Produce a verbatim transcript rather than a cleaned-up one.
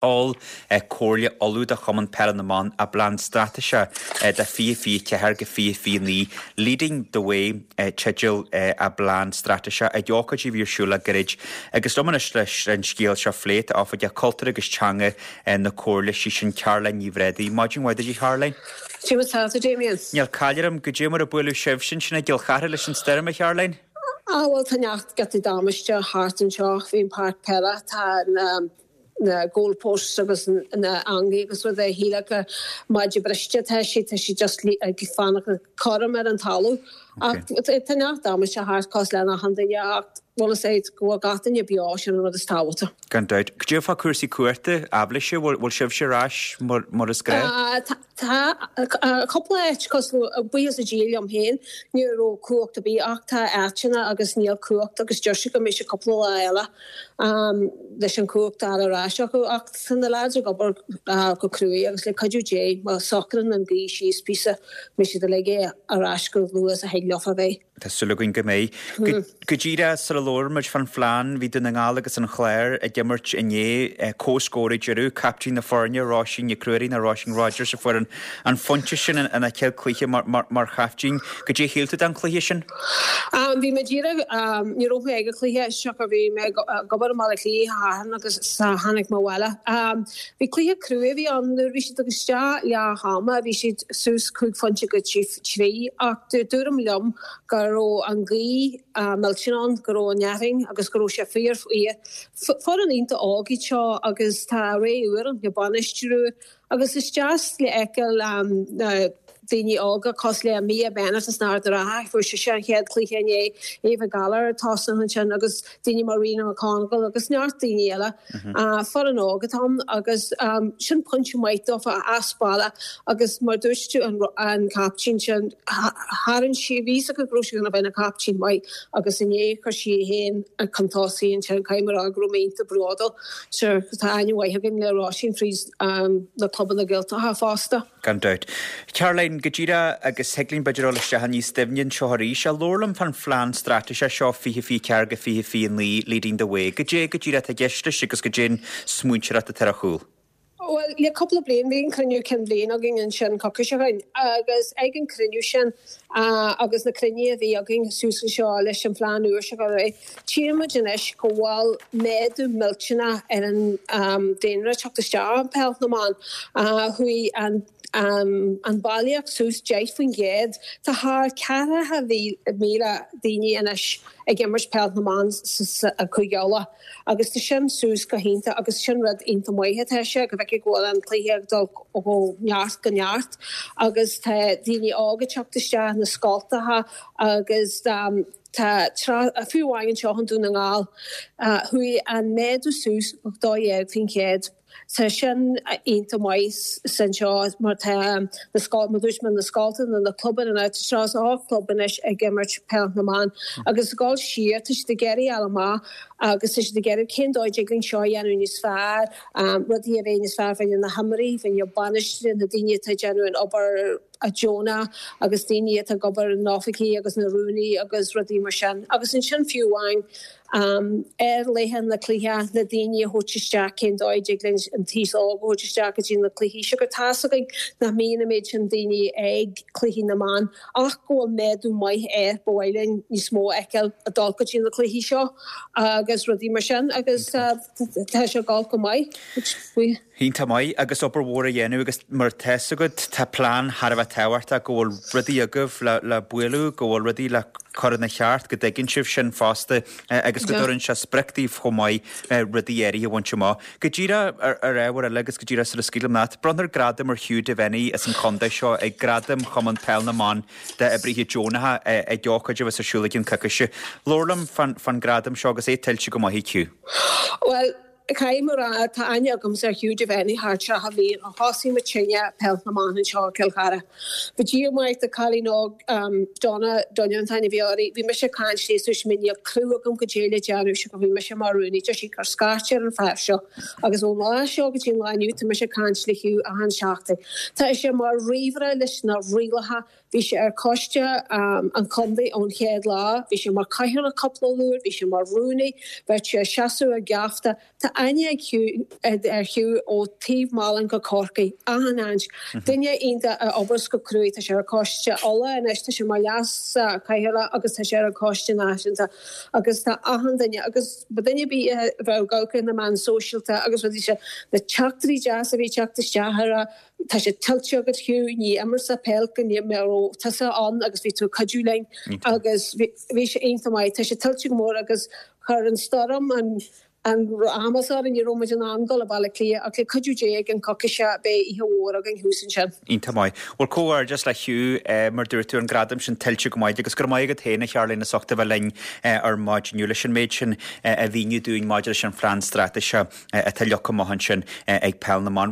Mhol Comhairle Uladh do Chumann Peile na mBan a bplean straitéise do fiche fiche ceathair go fiche fiche naoi Leading the Way teideal a bplean straitéise ag ócáid a bhí ar siúl le gairid agus liom anois leis an scéal seo a phlé tá Oifigeach Cultúir agus Teanga na Comhairle sí sin Caroline Ní Bhréadaí. Maidin mhaith duit Caroline. Tá Damien. Níl caill orm goidé mar a buaileadh sibh sin sin i gCill Chartha leis an stoirm a Charoline? Ah bhuel tá neart giotaí damáiste thart anseo faoin páirc peile tá na na goalposts agus na eangaí agus rud é shíle maide briste tá si tá si just ag fanacht cothrom ar an talamh. Ach tá neart damáiste thart cosúil le achan duine ach bhfuil sé go bhfuil gach duine beo sin an rud is tábhachtaí. Gan dabht. Goidé fá cúrsaí cumhachta aibhléise bhfuil sibhse ar ais mar is gnách? Tá cúpla áit cosúil buíochas le Dia liom féin ní raibh cumhacht ar bith ach tá áiteanna agus níl cumhacht agus deir sé go mbeidh sé cúpla lá eile leis an cumhacht ar ais acu ach tá na lads ag obair go cruaidh agus le cuidiú Dé má socraíonn an ghaoth síos píosa beidh siad uilig ar ais go luath is a thig leofa bheith. Tá súil againn go mbeidh. Go díreach sula labhair muid fán phlean bhí Dún na nGall agus an Clár ag imirt inné comhscór ag deireadh, caiptín na foirne Róisín Nic Ruairí nó Róisín Rogers a fuair an an phointe sin ina céad cluiche mar, mar, mar chaiptín. Goidé a shíl tú den chluiche sin? Um, bhí mé díreach um, ní raibh mé ag an cluiche siocair bhí mé ag obair i mBaile Átha Cliath Satharn agus sa tháinig mé abhaile. Um, bhí cluiche crua bhí ann nuair bhí siad agus isteach leath ama bhí siad suas cúig phointe go trí trí ach dúradh liom go raibh an ghaoth uh, millteanach ann, go raibh an fhearthainn agus go raibh sé fíor Foireann iontach óg iad seo agus tá ré úr an bainistiú agus is deas le feiceáil um, na daoine óga cosúil le Mia Bennett is Ard Ratha fuair sé sin chéad cluiche inné Eva Gallagher tosaithe ansin agus daoine mar Rena McConville agus neart daoine eile uh, foireann óg atá ann agus um, sin pointe maith dófa as baile agus mar dúirt tú an, an captain sin tharraing sí bhí go raibh sí gonna bheith ina captain maith agus inné chuir sí féin chun tosaigh ansin caithfidh mé a rá go raibh mé iontach bródúil Sure tá aithne mhaith againn le Róisín fríd um, na clubanna Gaeltachta fosta. Gan dabht. Caroline go díreach agus thig linn b'fhéidir dul isteach níos doimhne anseo arís a labhair liom fán phlean straitéise seo fiche fiche ceathair go fiche fiche naoi Leading the Way. Goidé go díreach atá i gceist leis agus goidé an smaointeoireacht atá ar a chúl. Well le cúpla bliain bhí an cruinniú cinn bliana againn ansin coicís ó shin agus ag an cruinniú sin uh, agus na cruinnithe a bhí againn suas seo leis an phlean úr seo go raibh. Tchímid anois go bhfuil méadú millteanach ar an um, daonra teacht isteach an peil na mban uh, chuaigh an um, an bailíocht suas deich faoin gcéad Tá thar ceathracha míle daoine anois ag imirt peil na mban a Chúige Uladh agus tá sin suas go hiontach agus sin rud iontach maith atá sé go bhfeiceann go bhfuil an cluiche ag dul ó neart go neart agus tá daoine óga teacht isteach na scoltacha agus um, tá fiú amháin seo an Dún na nGall uh, chuaigh an méadú suas dó dhéag faoin gcéad. Tá sin iontach maith san seo mar tá na scol mar dúirt mé na scoltacha na clubanna na seo á club anois ag imirt peil na mban agus gáil siar tá siad ag iarraidh fháil amach agus tá siad ag iarraidh cén dóigh linn seo dhéanamh níos fearr um, rudaí a bheith níos fearr fá na himreoirí fá bainisteoirí na daoine atá déanamh an obair deonach agus daoine atá ag obair in oifigí agus na rúnaí agus rudaí mar sin agus ansin fiú amháin um, ar laethe na cluiche na daoine a thabhairt isteach cén dóigh linn an t-aos óg a thabhairt isteach go dtí na cluichí se gur tá againn nach mbíonn an méid sin daoine ag cluichí na mban ach go bhfuil méadú maith air ba mhaith linn níos mó a fheiceáil ag dul go dtí na cluichí seo agus rudaí mar sin agus uh, tá sé ag dul go maith. Iontach maith agus obair mhór a dhéanamh agus mar tá a fhios agat tá plean thar a bheith tábhachtach go bhfuil rudaí agaibh le, le bualadh, go bhfuil rudaí le cur ina cheart go dtuigeann sibh sin fosta agus go dtugann sé sprioc daoibh chomh maith rudaí áirithe a bhaint amach. Go díreach ar ar ábhar eile agus go díreach sula scaoilim leat, bronntar gradam ar Hugh Devenney as an chontae seo ag gradam Chumann Peil na mBan d'oibrithe deonacha ag ócáid a bheas ar siúl i gceann coicíse. Labhair liom fán fán gradam seo agus é tuillte go maith ag Hugh. Well, Caithfidh mé a rá tá aithne agamsa ar Hugh Devenney thar tríocha bliain ó thosaigh muid sinne peil na mban anseo i Cill Chartha. Bhí díomá de cailín óg um, Donna Dunne an t-ainm a bhí uirthi, bhí mise ag caint léi dúirt mé níl clue agam goidé le déanamh se go bhí mise mar rúnaí deir sí cuir scairt ar an fear seo agus ón lá seo go dtí an lá inniu tá mise ag caint le Hugh achan seachtain. Tá sé mar ríomhaire leis na rialacha Bhí sé ar choiste um, an chontae ón chéad lá, bhí sé mar chathaoirleach cúpla uair, bhí sé mar rúnaí, bhí sé seasamh ar geafta, Tá aithne ag Hugh ar Hugh ó taobh Mhálann go Corcaigh, achan áit. Duine iontach a oibreos go cruaidh, tá sé ar Choiste Uladh anois, tá sé mar leas-chathaoirleach agus tá sé ar an Choiste Náisiúnta agus tá achan duine agus ba duine ar bith a bheadh ag amharc ar na meáin sóisialta agus rudaí seo, na teachtairí deasa a bhí ag teacht isteach ar a Tá sé tuillte agat Hugh, ní imreofá peil go mbeadh tusa ann agus bhí tú ag cuidiú linn agus bhí sé iontach maith. Tá sé tuillte go mór agus chuir an stoirm an an amas orainn, ní raibh muid in ann dul go Baile Átha Cliath ach le cuidiú Dé i gceann coicíse beidh oíche mhór againn thuas ansin. Iontach maith. Bhuel comhghairdeas le Hugh, mar dúirt tú, an gradam sin tuillte go maith agus go raibh maith agat féin a Charlene as ucht a bheith linn ar maidin inniu leis an méid sin a mhíniú dúinn maidir leis an phlean straitéise atá leagtha amach ansin ag Peil na mBan.